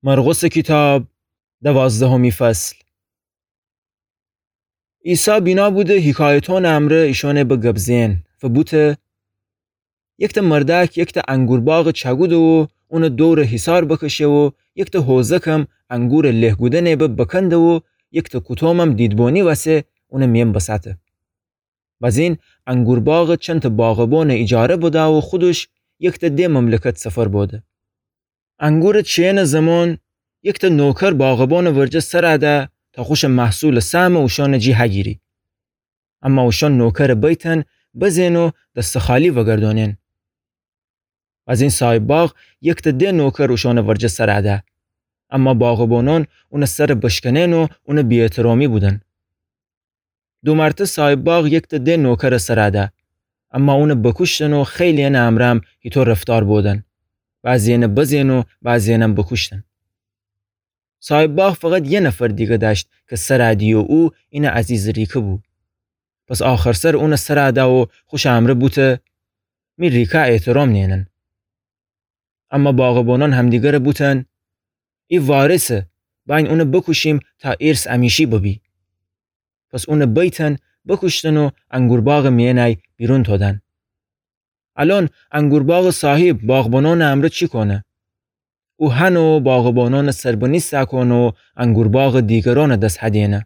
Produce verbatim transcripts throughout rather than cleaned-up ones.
مرقسٚ کیتاب، دوازدهمی فصل. عیسی بینا بوده حیکایتأنٚ امرأ ایشأنٚ به گب زئن و بوته: یکتأ مردأک یکتأ انگورباغٚ چأکوده و اونٚ دورٚ حیصار بکشه و یکتأ حوزکم انگورٚ له کودنٚ به بکنده و یکتأ کوتومم دیدبونی وسه اونٚ میأن بسأته. بازین انگورباغٚ چندتأ باغبانٚ ایجاره بده و خودش یکتأ ده مملکت سفر بوده. انگورٚ چینٚ زمان یکتأ نوکر باغبانٚ ورجه سر ده تا خوشٚ محصولٚ سهمٚ اوشأنٚ جی هگیری. اما اوشأن نوکرٚ بیتأن بزئن و دستٚ خالی وگردأنئن. بازین صاحب باغ یکتأ ده نوکر اوشأنٚ ورجه سر ده. اما باغبانأن اونٚ سر بشکنئن و اونٚ بی‌احترامی بودن. دو مرتأ صاحب باغ یکتأ ده نوکرٚ سر ده. اما اونٚ بکوشتن و خیلی‌یأنٚ امرأم هیطو رفتار بودن. بعضی‌یأنٚ بزئن و بعضی‌یأنم بکوشتن. صاحب باغ فقط یه نفر دیگه دأشت کی سر دیی و او اینٚ عزیزٚ ریکه بو. پس آخرسر اونٚ سر ده و خوشٚ امرأ بوته: می ریکه احترام نیئنن. اما باغبانأن همدیگره بوتن: ای وارثه، بأیین اونٚ بکوشیم تا ارث امیشی ببی. پس اونٚ بیتأن بکوشتن و انگورباغٚ میأنی بیرون تودن. الأن انگورباغٚ صاحب باغبانأنٚ امرأ چی کونه؟ او هنه و باغبانأنٚ سربنی سأکونه و انگورباغٚ دیگرأنٚ دس هدینه.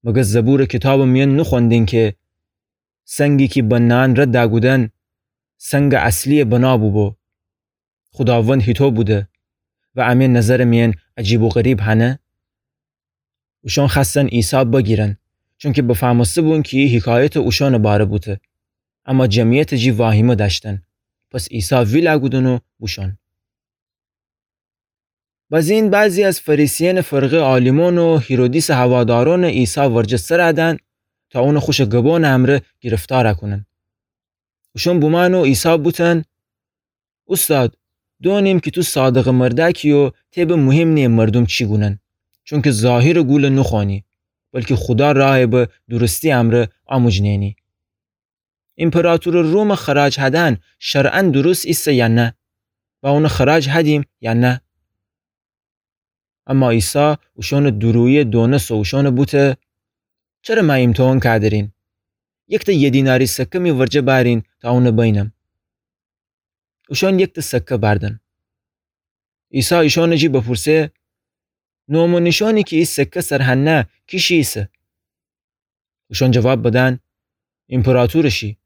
مگر زبورٚ کیتابٚ میأن نوخوأندین کی سنگی کی بنه‌یأن رد کودن، سنگٚ اصلی‌یٚ بنا بوبو؟ خوداوند هیطو بوده و امی نظرٚ میأن عجیب و غریب هنه؟ اوشأن خوأستن عیسی بگیرن، چونکی بفهمسته بون کی ای حیکایت اوشأنٚ باره بوته. اما جمعیتٚ جی واهیمه دأشتن. پس عیسی ویل کودن و بوشون. بازین بعضی از فریسیأنٚ فرقه عالیمأن و هیرودیسٚ هوادارأنٚ عیسی ورجه سر دن تا اونٚ خوشٚ گبانٚ امرأ گرفتار کونن. اوشأن بومأن و عیسی بوتن: اوستاد، دونیم کی تو صادقٚ مردأکی و تی به مهم نییه مردوم چی گونن، چونکی ظاهرٚ گول نوخوأنی، بلکی خودا رأی به درستی امرأ آموج نئنی. ایمپراطورٚ رومٚ خراج هدن شرعاً درست ایسه یا نه؟ و اونٚ خراج هدیم یا نه؟ اما عیسی اوشأنٚ دورویی دونسه و اوشأن بوته: چره مه ایمتحان کأدرین؟ یکتأ یه دیناری سکه می ورجه بأرین تا اون بینم. اوشأن یکتأ سکه بأردن. عیسی ایشأنٚ جی بپورسه: نام و نیشأنی کی ای سکه سر هنه کیشی ایسه؟ اوشأن جواب بدن: ایمپراطورٚ شی.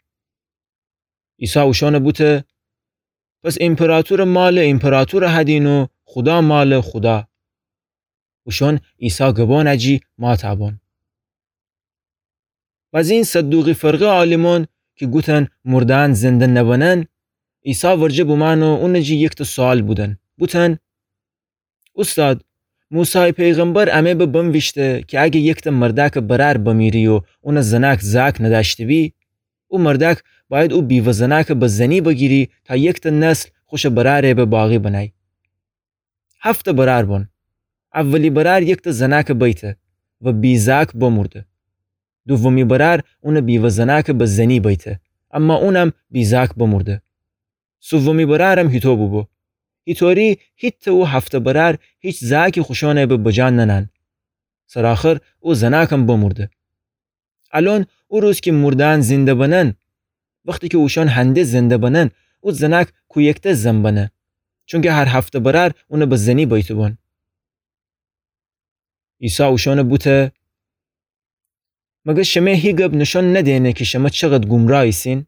عیسی اوشأن بوته: پس ایمپراطورٚ مالٚ ایمپراطور هدین و خودا مالٚ خودا. اوشأن عیسی گبانٚ جی مات بون. بازین صدوقی فرقه عالیمأن کی گوتن مرده‌یأن زنده نبنن، عیسی ورجه بومأن و اونٚ جی یکتأ سؤال بودن. بوتن: اوستاد، موسی پیغمبر امه به بنویشته کی اگه یکتأ مردأکٚ برأر بمیری و اونٚ زنأک زأک ندأشته‌بی، او مردأک بأید او بیوه زنأکٚ به زنی بگیری تا یکتأ نسل خوشٚ برأرٚ به باقی بنأی. هفتأ برأر بون. اولی برأر یکتأ زنأکٚ بیته و بی‌زأک بمورده. دومی برأر اونٚ بیوه زنأکٚ به زنی بیته، اما اونم بی‌زأک بمورده. سومی برأرم هیطو بوبو. هیطوری هیتأ او هفتأ برأر هیچ زأکی خوشأنٚ به بجا ننن. سرآخر او زنأکم بمورده. الأن او روز کی مرده‌یأن زنده بنن، وختی کی اوشأن هنده زنده بنن، او زنأک کویکته زن بنه، چونکی هر هفتأ برأر اونٚ به زنی بیته بون. عیسی اوشأن بوته: مگر شمه هی گب نشأن ندینه کی شمه چقدر گمراه ایسین؟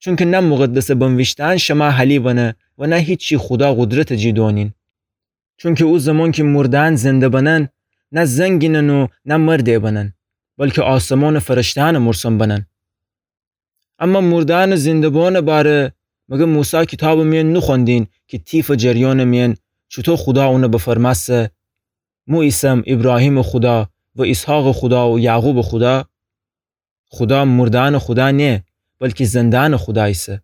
چونکی نه مقدسٚ بنویشته‌یأن شمه حالی بنه و نه هیچی خودا قدرتٚ جی دونین. چونکی او زمان کی مرده‌یأن زنده بنن، نه زنگینن و نه مردٚ بنن، بلکی آسمانٚ فرشته‌یأنٚ مرسن بنن. اما مرده‌یأنٚ زنده بووأنٚ باره، مگر موسی کیتابٚ میأن نوخوأندین کی طیفٚ جریانٚ میأن چوطو خودا اون بفرمأسه: مو ایسم ایبراهیمٚ خودا و ایسحاقٚ خودا و یعقوبٚ خودا؟ خودا مرده‌یأنٚ خودا نییه، بلکی زنده‌یأنٚ خودا ایسه.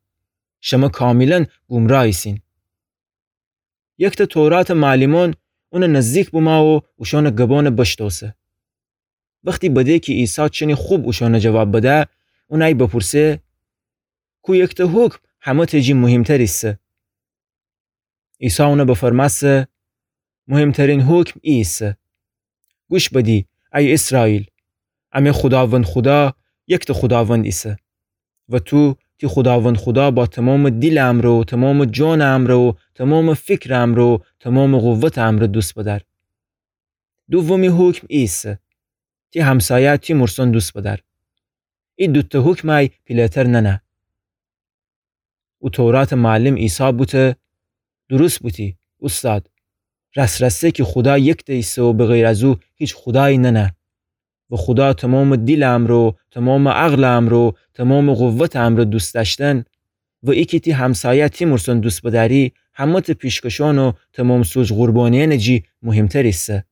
شمه کاملاً گمراه ایسین. یکتأ توراتٚ معلمأن اونٚ نزدیک بومأ و اوشأنٚ گبأن بشتوسه. وختی بده کی عیسی چنی خوب اوشأن جواب بده، اونأی بپورسه: کویکتأ حکم همه‌تٚ جی مهمتر ایسه؟ عیسی اون بفرمأسه: مهمترین حکم ای ایسه: گوش بدی، ای اسرائیل، امه خوداوند خودا، یکتأ خوداوند ایسه. و تو تی خوداوند خودا با تومامٚ دیلٚ امرأ و تومامٚ جانٚ امرأ و تومامٚ فکرٚ امرأ و تومامٚ قوتٚ امرأ دوست بدأر. دومی حکم ای ایسه: تی همسایه تی مورسون دوست بدأر. ای دوتأ حکمأی پیله‌تر ننه. او توراتٚ معلم عیسی بوته: درست بوتی، اوستاد. راس‌راسه کی خودا یکتأ ایسه و به غیر از او هیچ خودایی ننه. و خودا تومامٚ دیلٚ امرأ و تومامٚ عقلٚ امرأ و تومامٚ قوتٚ امرأ دوست دأشتن و ای کی تی همسایه تی مورسون دوست بدأری، همه‌تأ پیشکشأن و تومام سوج قربانیأنٚ جی مهمتر ایسه.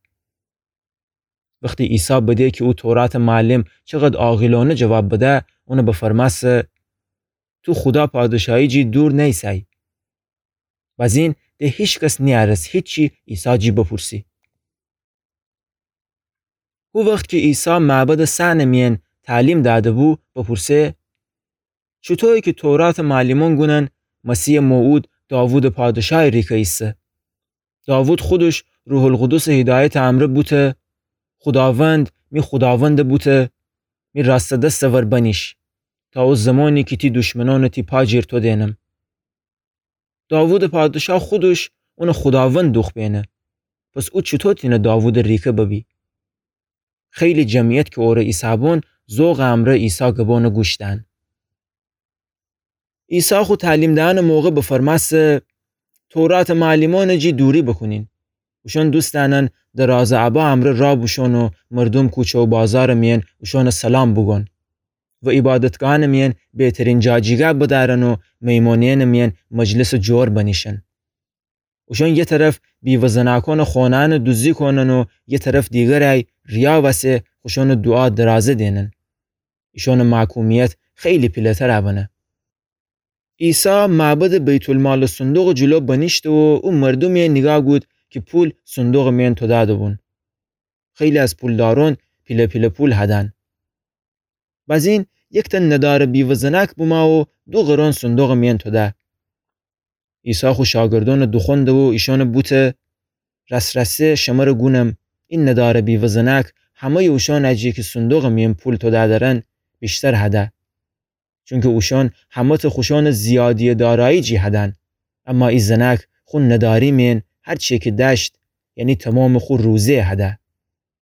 وختی عیسی بده کی او توراتٚ معلم چقد عاقلأنه جواب بده، اون بفرمأسه: تو خودا پادشاهی جی دور نیسأی. بزین ده هیکس نیأرست هیچی عیسی جی بپورسی. هو وخت کی عیسی معبدٚ صحنٚ میأن تعلیم دأده‌بو، بپورسه: چوطویه کی توراتٚ معلمأن گونن مسیحٚ موعود داوودٚ پادشاهی ریکه ایسه؟ داوود خودش روح‌القدسٚ هدایتٚ امرأ بوته: خوداوند، می خوداوند بوته، می راستٚ دستٚ ور بنیش، تا او زمانی کی تی دشمنأن تی پا جیر تو دئنم. داوودٚ پادشاه خودش اونٚ خوداوند دوخت بئنه. پس او چوطو تینه داوودٚ ریکه ببی؟ خیلی جمعیت کی اورٚ ایسابون، ذوقٚ امرأ عیسی گبأنٚ گوش دأن. عیسی خو تعلیم دئنٚ موقع بفرمأسه: توراتٚ معلمأنٚ جی دوری بوکونین. اوشأن دوست دأنن درازٚ ابا امرأ راه بوشون و مردوم کوچه و بازارٚ میأن اوشأنٚ سلام بوگون و عیبادتگاهأنٚ میأن بهترین جاجیگاه بدأرن و میمانیأنٚ میأن مجلسٚ جور بنیشن. اوشأن یه طرف بیوه زناکأنٚ خونه‌یأنٚ دوزی کونن و یه طرف دیگرأی ریا وسه خوشأنٚ دوعا درازه دئنن. ایشأنٚ محکومیت خیلی پیله‌تر بنه. عیسی معبدٚ بیت‌المالٚ صندوقٚ جلو بنیشته و او مردومٚ نیگاه گود کی پول صندوقٚ میأن تودأده‌بون. خیلی از پولدارأن پیله پیله پول هدن. بزین یکتأ ندارٚ بیوه زناک بومه و دو قرون صندوقٚ میأن توده. عیسی خو شاگردأنٚ دوخوأنده و ایشأنٚ بوته: راس‌راسه شمره گونم، ای ندارٚ بیوه زناک همه‌یٚ اوشأنٚ جی کی صندوقٚ میأن پول توده دأرن ویشتر هده. چونکی اوشأن همه‌تأ خوشأنٚ زیادییٚ دارایی جی هدن، اما ای زناک خو نداری میأن هر چیی کی دأشت، یعنی تومامٚ خو روزه هده.